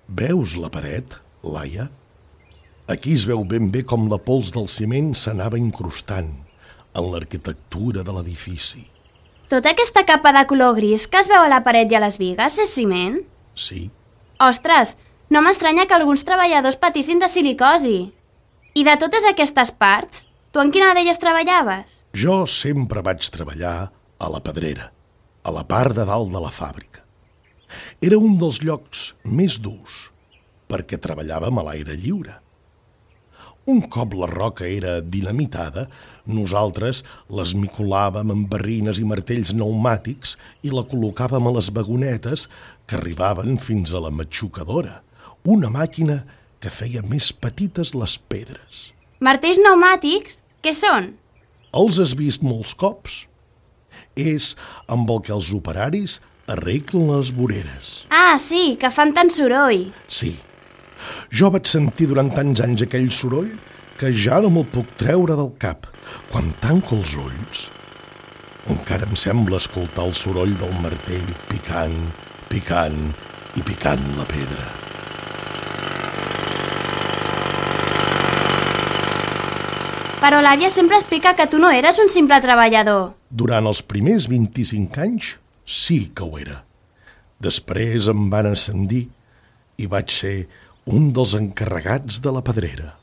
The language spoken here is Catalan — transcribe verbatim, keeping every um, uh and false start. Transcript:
Veus la paret, Laia? Aquí es veu ben bé com la pols del ciment s'anava incrustant en l'arquitectura de l'edifici. Tota aquesta capa de color gris que es veu a la paret i a les bigues és ciment? Sí. Ostres, no m'estranya que alguns treballadors patissin de silicosi. I de totes aquestes parts, tu en quina d'elles treballaves? Jo sempre vaig treballar a la Pedrera, a la part de dalt de la fàbrica. Era un dels llocs més durs, perquè treballàvem a l'aire lliure. Un cop la roca era dinamitada, nosaltres l'esmicolàvem amb barrines i martells pneumàtics i la col·locàvem a les vagonetes que arribaven fins a la matxucadora, una màquina que feia més petites les pedres. Martells pneumàtics? Què són? Els has vist molts cops? És amb el que els operaris arreglen les voreres. Ah, sí, que fan tant soroll. Sí. Jo vaig sentir durant tants anys aquell soroll que ja no me'l puc treure del cap. Quan tanco els ulls, encara em sembla escoltar el soroll del martell picant, picant i picant la pedra. Però l'àvia sempre explica que tu no eres un simple treballador. Durant els primers vint-i-cinc anys sí que ho era. Després em van ascendir i vaig ser un dels encarregats de la Pedrera.